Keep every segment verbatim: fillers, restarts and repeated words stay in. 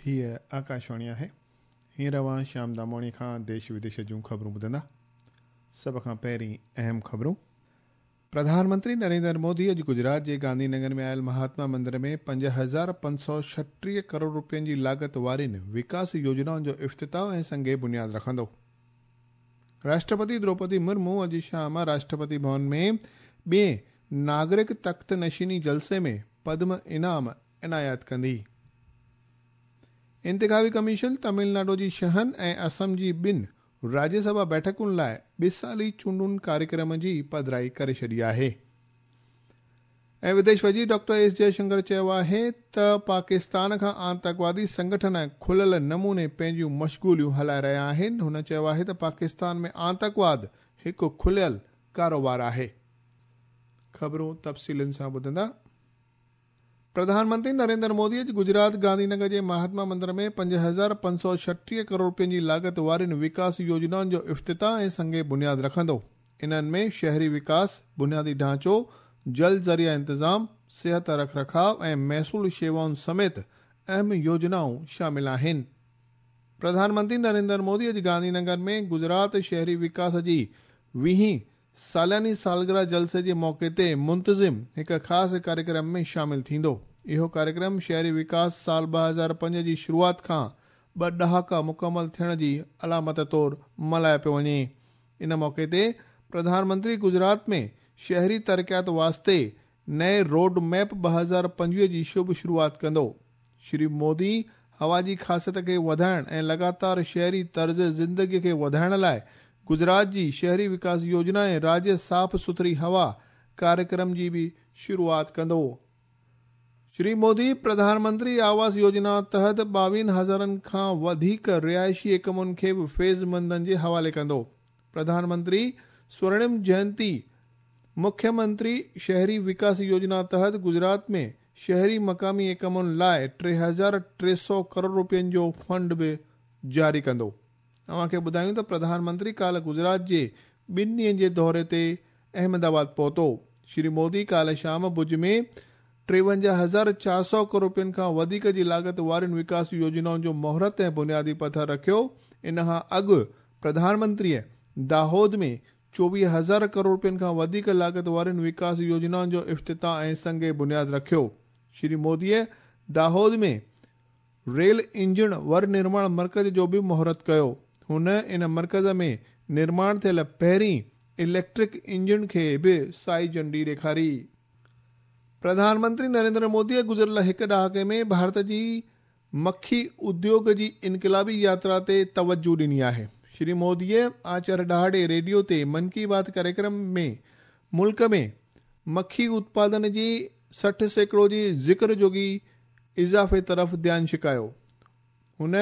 हीअ आकाशवाणी आहे। हींअर अव्हां श्याम दामोणी खां देश विदेश जूं ख़बरूं ॿुधंदा। सभ खां पहिरीं अहम ख़बरूं। प्रधानमंत्री नरेंद्र मोदी अॼु गुजरात जे गांधीनगर में आयल महात्मा मंदिर में पंज हज़ार पंज सौ छटीह करोड़ रुपयनि जी लागत वारियुनि विकास योजनाउनि जो इफ़्तिताह ऐं संग बुनियाद रखंदो। राष्ट्रपति द्रौपदी मुर्मू अॼु शाम राष्ट्रपति भवन में ॿिए नागरिक तख़्त नशीनी जलसे में पद्म इनाम इनायत कंदी। इंतिख़ाबी कमीशन तमिलनाडु जी छहनि ऐं असम जी ॿिनि राज्यसभा बैठकुनि लाइ ॿिसाली चूंडुनि कार्यक्रम जी पधराई करे छॾी आहे। ऐं विदेश वज़ीर डॉक्टर एस जयशंकर चयो आहे त पाकिस्तान खां आतंकवादी संगठन खुलियल नमूने पंहिंजूं मशगूलियूं हलाए रहिया आहिनि। हुन चयो आहे त पाकिस्तान में आतंकवाद हिकु खुलियल कारोबार आहे। ख़बरूं तफ़सीलनि सां ॿुधंदा। प्रधानमंत्री नरेंद्र मोदी अॼु गुजरात गांधीनगर जे महात्मा मंदिर में पंज हज़ार पंज सौ छटीह करोड़ रुपयनि जी लागत वारियुनि विकास योजनाउनि जो इफ़्तिताह ऐं संग बुनियाद रखंदो। इन्हनि में शहरी विकास, बुनियादी ढांचो, जल ज़रिया इंतज़ाम, सिहत रखरखाव ऐं महसूल शेवाउनि समेत अहम योजनाऊं शामिल आहिनि। प्रधानमंत्री नरेंद्र मोदी अॼु गांधीनगर में गुजरात शहरी विकास जी वीहीं सालानी सालगिरह जलसे जे मौक़े ते मुंतज़िम हिकु ख़ासि कार्यक्रम में शामिल थींदो। इहो कार्यक्रम शहरी विकास साल ॿ हज़ार पंज जी शुरूआत खां ॿ ॾहाका मुकमल थियण जी अलामत तौरु मल्हायो पियो वञे। इन मौक़े ते प्रधानमंत्री गुजरात में शहरी तरक़ियात वास्ते नए रोड मैप ॿ हज़ार पंजवीह जी शुभ शुरूआत कंदो। श्री मोदी हवा जी ख़ासियत खे वधाइण ऐं लगातार शहरी तर्ज़ ज़िंदगीअ खे वधाइण लाइ गुजरात जी शहरी विकास योजना ऐं राज्य साफ़ सुथरी हवा कार्यक्रम जी बि शुरूआत कंदो। श्री मोदी प्रधानमंत्री आवास योजना तहत ॿावीहनि हज़ारनि खां वधीक रिहाइशी एकमुनि खे बि फैज़मंदनि जे हवाले कंदो। प्रधानमंत्री स्वर्णिम जयंती मुख्यमंत्री शहरी विकास योजना तहत गुजरात में शहरी मकामी एकमुनि लाइ टे हज़ार टे सौ करोड़ रुपयनि जो फंड बि जारी कंदो। अव्हांखे ॿुधायूं त प्रधानमंत्री काल्ह गुजरात जे ॿिनि ॾींहनि जे दौरे ते अहमदाबाद पहुतो। श्री मोदी काल्ह शाम भुज में टेवंजाह हज़ार चारि सौ करोड़ रुपयनि खां वधीक जी लागत वारियुनि विकास योजनाउनि जो मुहूर्त ऐं बुनियादी पथर रखियो। इन खां अॻु प्रधानमंत्रीअ दाहोद में चोवीह हज़ार करोड़ रुपयनि खां वधीक लागत वारियुनि विकास योजनाउनि जो इफ़्तिताह ऐं संग बुनियाद रखियो। श्री मोदीअ दाहोद में रेल इंजन वर निर्माण मर्कज़ जो बि मुहूर्त कयो। हुन इन मर्कज़ में निर्माण थियल पहिरीं इलेक्ट्रिक इंजन खे बि साई झंडी ॾेखारी। प्रधानमंत्री नरेंद्र मोदीअ गुज़िरियल हिकु ॾहाके में भारत जी मक्खी उद्योग जी इनकलाबी यात्रा ते तवज्जो ॾिनी आहे। श्री मोदीअ आचर ॾहाड़े रेडियो ते मन की बात कार्यक्रम में मुल्क में मक्खी उत्पादन जी सठि सैकड़ो जी ज़िक्र जोगी इज़ाफ़े तरफ़ ध्यानु छिकायो। हुन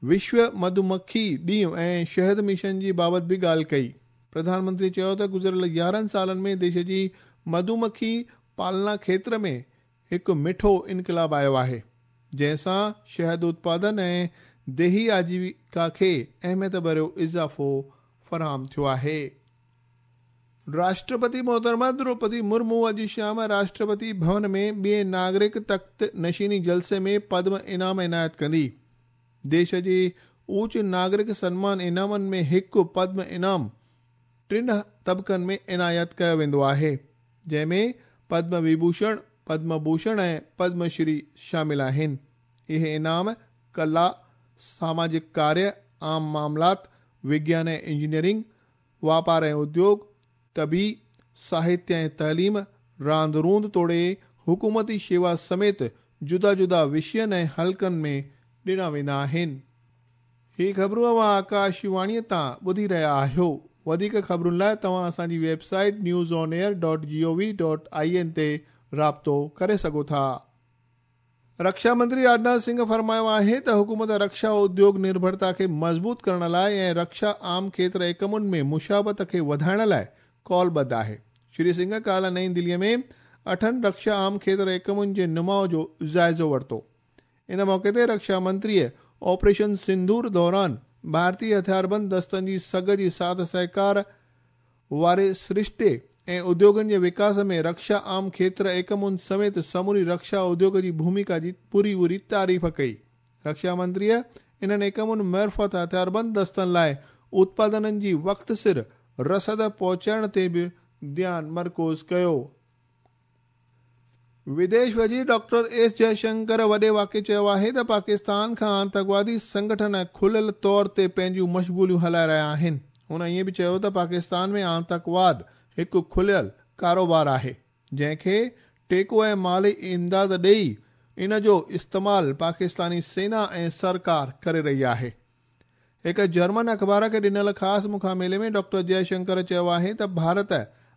विश्व मधुमक्खी ॾींहुं ऐं शहद मिशन जी बाबति बि ॻाल्हि कई। प्रधानमंत्री चयो त गुज़िरियल यारहं सालनि में देश जी मधुमक्खी पालना क्षेत्र में हिकु मिठो इनकलाब आयो आहे, जंहिंसां शहद उत्पादन ऐं देही आजीविका खे अहमियत भरियो इज़ाफ़ो फराहम थियो आहे। राष्ट्रपति मोहतरमा द्रौपदी मुर्मू अॼु शाम राष्ट्रपति भवन में ॿिए नागरिक तख़्त नशीनी जलसे में पद्म इनाम इनायत कंदी। देश जे ऊच नागरिक सन्मान इनामनि में हिकु पद्म इनाम टिनि तबक़नि में इनायत कयो वेंदो आहे, जंहिंमें पद्म विभूषण, पद्म भूषण ऐं पद्मश्री शामिल आहिनि। इहे इनाम कला, सामाजिक कार्य, आम मामलात, विज्ञान ऐं इंजीनियरिंग, वापार ऐं उद्योग, तबी, साहित्य ऐं तइलीम, रांदि रूंदि तोड़े हुकूमती शेवा समेत जुदा जुदा विषयनि ऐं हलकनि में ॾिना वेंदा आहिनि। हीअ ख़बरूं अव्हां आकाशवाणीअ तां ॿुधी रहिया आहियो। वधीक ख़बरुनि लाइ तव्हां असांजी website news on air dot G O V dot I N ते राब्तो करे सघो था। रक्षा मंत्री राजनाथ सिंह फरमायो आहे त हुकूमत रक्षा उद्योग निर्भरता खे मज़बूत करण लाइ ऐं रक्षा आम क्षेत्र एकमुनि में मुशावत खे वधाइण लाइ कॉलबद्ध आहे। श्री सिंह काल्ह नई दिल्लीअ में अठनि रक्षा आम क्षेत्र एकमुनि जे नुमाउ जो जाइज़ो वरितो। इन मौक़े ते रक्षा मंत्रीअ ऑपरेशन सिंदूर दौरान भारतीय हथियारबंद दस्तनि जी सघ जी साथ सहकार वारे सरिश्ते ऐं उद्योगनि जे विकास में रक्षा आम क्षेत्र एकमुनि समेत समूरी रक्षा उद्योग जी भूमिका जी पूरी पूरी तारीफ़ कई। रक्षा मंत्रीअ इन्हनि इकमुनि मार्फ़त हथियारबंद दस्तनि लाइ उत्पादननि जी वक़्त सिर रसद पहुचाइण ते बि ध्यानु मरकूज़ कयो। विदेश वज़ीर डॉक्टर एस जयशंकर वॾे वाक़े चयो आहे त पाकिस्तान खां आतंकवादी संगठन खुलियल तौर ते पंहिंजूं मशगूलियूं हलाए रहिया आहिनि। हुन ईअं बि चयो त पाकिस्तान में आतंकवाद हिकु खुलियल कारोबार आहे, जंहिंखे टेको ऐं माली इमदाद ॾेई इन जो इस्तेमाल पाकिस्तानी सेना ऐं सरकार करे रही आहे। हिकु जर्मन अख़बार खे ॾिनल ख़ासि मुकामेले में डॉक्टर जयशंकर चयो आहे त भारत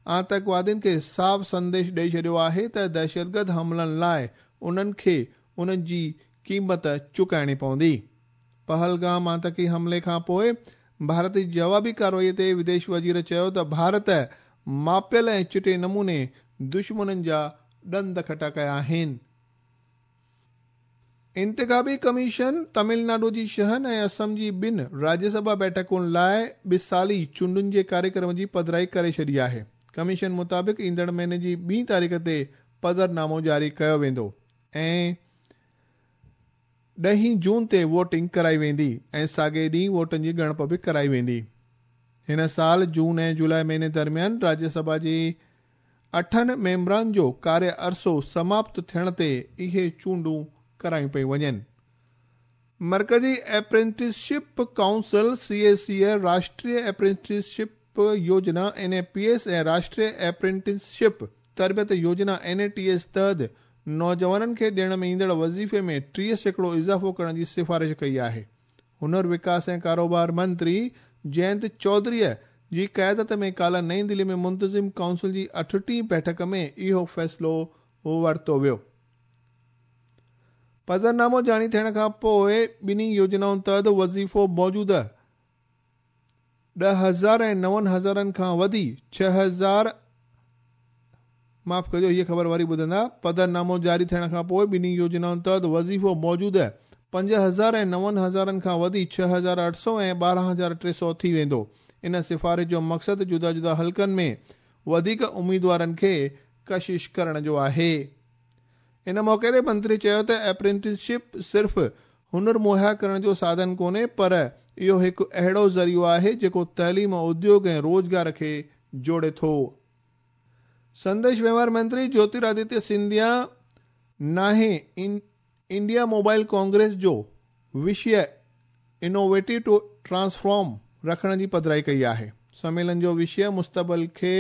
आतंकवादियुनि खे साफ़ संदेश ॾेई छॾियो आहे त दहशतगर्द हमलनि लाइ उन्हनि खे उन्हनि जी क़ीमत चुकाइणी पवंदी। पहलगाम आतंकी हमले खां पोइ भारत जी जवाबी कार्रवाई ते विदेश वज़ीर चयो त भारत मापियल ऐं चिटे नमूने दुश्मननि जा ॾंद खटा कया आहिनि। इंतिखाबी कमीशन तमिलनाडु जी छहनि ऐं असम जी ॿिनि राज्यसभा बैठकुनि लाइ ॿिसाली चूंडुनि जे कार्यक्रम जी पधराई करे छॾी आहे। कमीशन मुताबिक़ ईंदड़ महीने जी ॿी तारीख़ ते पधरनामो जारी कयो वेंदो ऐं ॾहीं जून ते वोटिंग कराई वेंदी ऐं साॻे ॾींहुं वोटनि जी ॻणप बि कराई वेंदी। हिन साल जून ऐं जुलाई महीने दरमियान राज्यसभा जी अठनि मेंबरनि जो कार्य अरसो समाप्त थियण ते इहे चूंडूं करायूं पई वञनि। मर्कज़ी apprenticeship council C A C Rashtriya apprenticeship Yojana N A P S ऐं राष्ट्रीय एप्रेंटिसशिप तरबियत योजना एन ए टी एस तहत नौजवाननि खे ॾियण में ईंदड़ वज़ीफ़े में टीह सैकड़ो इज़ाफ़ो करण जी सिफारिश कई आहे। हुनर विकास ऐं कारोबार मंत्री जयंत चौधरीअ जी क़यादत में काल्ह नई दिल्ली में मुंतज़िम काउंसिल जी अठटीह बैठक में इहो फ़ैसिलो वरितो वियो। पधरनामो जारी थियण खां पोइ ॿिन्ही योजनाउनि तहत वज़ीफ़ो मौजूदा ॾह हज़ार ऐं नवनि हज़ारनि खां वधी छह हज़ार माफ़ कजो, हीअ ख़बर वरी ॿुधंदा। पधरनामो जारी थियण खां पोइ ॿिन्ही योजनाउनि तहत वज़ीफ़ो मौजूदा पंज हज़ार ऐं नवनि हज़ारनि खां वधी छह हज़ार अठ सौ ऐं ॿारहं हज़ार टे सौ थी वेंदो। इन सिफारिश जो मक़सदु जुदा जुदा हलकनि में वधीक उम्मीदवारनि खे कशिश करण जो आहे। इन मौक़े ते मंत्री चयो त एप्रेंटिसशिप सिर्फ़ हुनर मुहैया करण जो साधन कोन्हे, पर इहो हिकु अहिड़ो ज़रियो आहे जेको तइलीम, उद्योग ऐं रोज़गार खे जोड़े थो। संदेश व्यवहार मंत्री ज्योतिरादित्य सिंधिया नाहे इंडिया मोबाइल कांग्रेस जो विषय इनोवेटिव टू ट्रांसफॉर्म रखण जी पधराई कई आहे। सम्मेलन जो विषय मुस्तक़बिल खे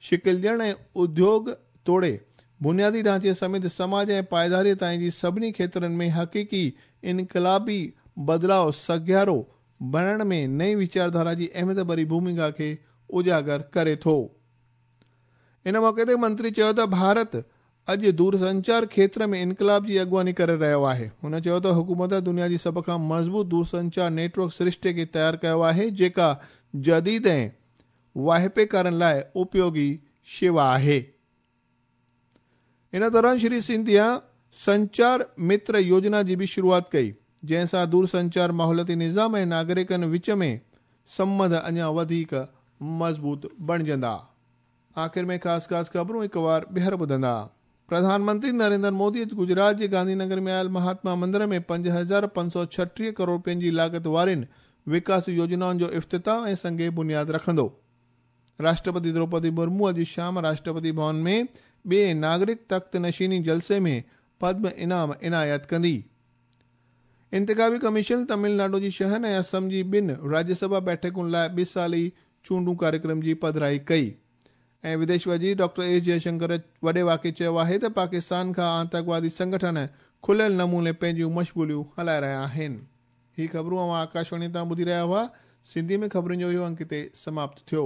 शिकिल ॾियण ऐं उद्योग तोड़े बुनियादी ढांचे समेत समाज ऐं पाइदारी ताईं जी सभिनी क्षेत्रनि में हक़ीक़ी इनकलाबी बदिलाव सघियारो बणाइण में नई वीचारधारा जी अहमियत भरी भूमिका खे उजागर करे थो। इन मौक़े ते मंत्री चयो त भारत अॼु दूरसंचार क्षेत्र में इनकलाब जी अॻुवानी करे रहियो आहे। हुन चयो त हुकूमत दुनिया जी सभ खां मज़बूत दूरसंचार नेटवर्क सृष्टि खे तयारु कयो आहे, जेका जदीद ऐं वाहिपेकारनि लाइ उपयोगी शेवा आहे। इन दौरान श्री सिंधिया संचार मित्र योजना जी बि शुरूआत कई, जंहिंसां दूरसंचार माहौलियाती निज़ाम ऐं नागरिकनि विच में संबंध अञा वधीक मज़बूत बणिजंदा। आख़िर में ख़ासि ख़ासि ख़बरूं हिकु बार ॿीहर ॿुधंदा। प्रधानमंत्री नरेंद्र मोदी अॼु गुजरात जे गांधीनगर में आयल महात्मा मंदिर में पंज हज़ार पंज सौ छटीह करोड़ रुपयनि जी लागत वारियुनि विकास योजनाउनि जो इफ़्तिताह ऐं संगे बुनियाद रखंदो। राष्ट्रपति द्रौपदी मुर्मू अॼु शाम राष्ट्रपति भवन में ॿिए नागरिक तख़्त नशीनी जलसे में पद्म इनाम इनायत कंदी। इंतिखाबी कमीशन तमिलनाडु जी छहनि ऐं असम जी ॿिनि राज्यसभा बैठकुनि लाइ ॿिसाली चूंडूं कार्यक्रम जी पधराई कई। ऐं विदेश वज़ीर डॉक्टर एस जयशंकर वॾे वाक़े चयो आहे त पाकिस्तान खां आतंकवादी संगठन खुलियल नमूने पंहिंजूं मशगूलियूं हलाए रहिया आहिनि। हीअ ख़बरूं अव्हां आकाशवाणी तां ॿुधी रहिया हुआ। सिंधी में ख़बरुनि जो इहो अंक हिते समाप्त थियो।